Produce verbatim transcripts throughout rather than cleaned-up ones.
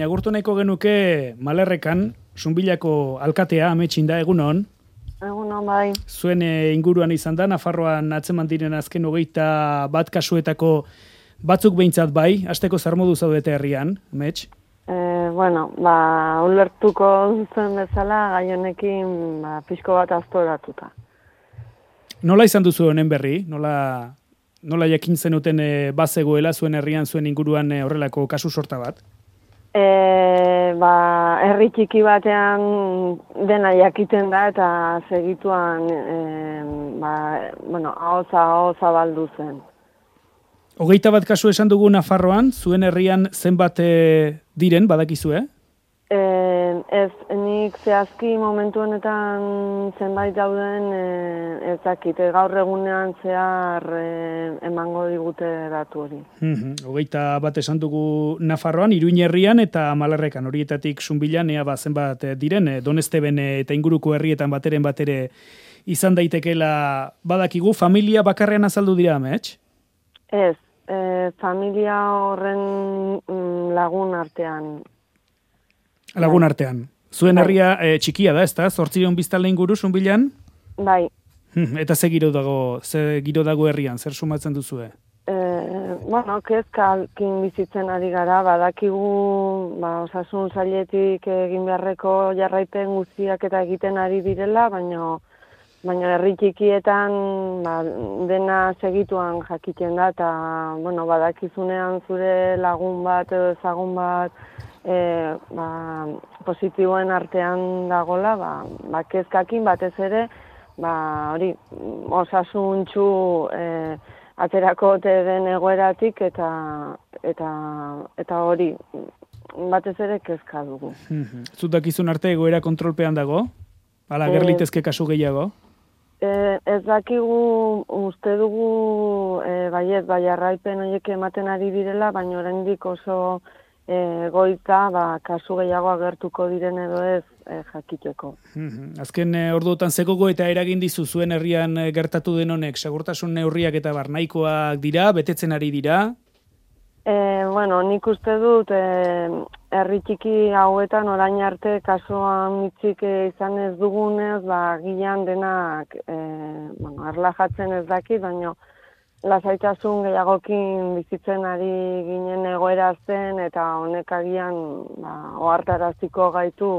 Agurtu nahiko genuke Malerrekan, Zunbilako alkatea, ametxinda, egunon. Egunon, bai. Zuen e, inguruan izan da, Nafarroan atzeman diren azken hogeita bat kasuetako batzuk behintzat bai, hasteko zer modu zaudete herrian, amets? E, bueno, ba, ulertuko zuen bezala, gai honekin ba, pixko bat aztoratuta. Nola izan duzu honen berri? Nola, nola jakin zenuten e, bazegoela zuen herrian, zuen inguruan e, horrelako kasu sorta bat? E, ba, herri txiki batean dena jakiten da eta segituan e, ba, bueno, ahoza ahoza baldu zen. Hogeita bat kasu esan dugu Nafarroan, zuen herrian zenbat e, diren, badakizue? E, ez, nik zehazki momentu honetan zenbait dauden e, ez dakit, gaur egunean zehar e, emango digute datu hori. Mm-hmm. Hogeita bat esan dugu Nafarroan, Iruin herrian eta Malerrekan, horietatik Zunbilan, ea ba, zenbat diren, e, Donesteben eta inguruko herrietan bateren batere izan daitekela badakigu, familia bakarrean azaldu dira, amets? Ez, e, familia horren lagun artean. Lagun artean. Zuen herria e, txikia da, ezta? Zortzion biztanle inguru Zunbilan? Bai. Eta ze giro dago, ze giro dago herrian, zer sumatzen duzue? E, bueno, kezkalkin bizitzen ari gara, badakigu ba, osasun sailetik egin beharreko jarraipen guztiak eta egiten ari direla, baina baina herri txikietan ba, dena segituan jakiten da, eta bueno, badakizunean zure lagun bat edo ezagun bat e, ba, positiboen artean dagola, ba, ba, kezkakin batez ere, ba, hori, osasuntxu e, aterako te den egoeratik eta eta eta hori batez ere kezka dugu. Zutakizun arte egoera kontrolpean dago? Hala, gerlitezke kasu gehiago? E, ez dakigu, uste dugu e, baiet, bai arraipen horiek ematen ari direla, baina oraindik oso e, goita ba, kasu gehiago agertuko diren edo ez e, jakiteko. Azken e, orduotan zegogo eta eragin dizu zuen herrian e, gertatu den honek, segurtasun neurriak eta barnaikoak dira, betetzen ari dira? E, bueno, nik uste dut e, herri txiki hauetan orain arte kasuan mitzik izan ez dugunez, ba, gilan denak e, bueno, erlajatzen ez dakit, baina lasaitasun gehiagokin bizitzen ari ginen egoera zen eta honek agian ba, ohartaraziko gaitu,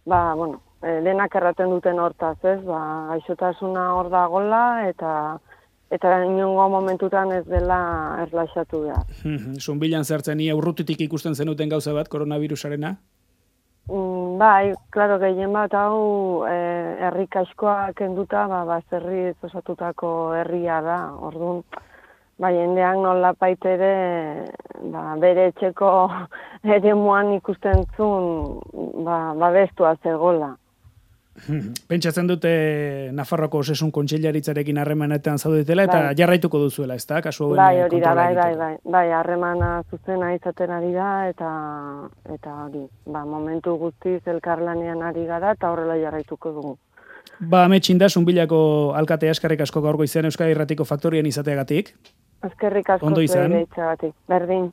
ba, bueno, e, denak erraten duten hortaz, ez, ba, gaixotasuna hor dagola eta eta inongo momentutan ez dela erlaxatu behar. Zunbilan zertzen, ia urrutitik ikusten zenuten gauza bat, koronavirusarena? Mm, bai, klaro, gehien bat hau e, herri kaskoa kenduta, ba, bazerri osatutako herria da. Orduan, ba, jendeak nola baitere ba, bere etxeko eremuan ikusten zuen ba, babestua zegola. Pentsatzen dute Nafarroko Osasun Kontseilaritzarekin harremanetan zaudetela eta bai, jarraituko duzuela, ezta? Kasu hauen bai, hori da, kontrola bai, bai, egiteko. bai, bai, harremana zuzena izaten ari da eta eta hori, ba, momentu guztiz elkarlanean ari gara eta horrela jarraituko dugu. Ba, ametxinda, Zunbilako alkatea, eskerrik asko gaur goizean Euskadi Irratiko Faktorian izateagatik. Eskerrik asko Ondo izan. zuei berdin.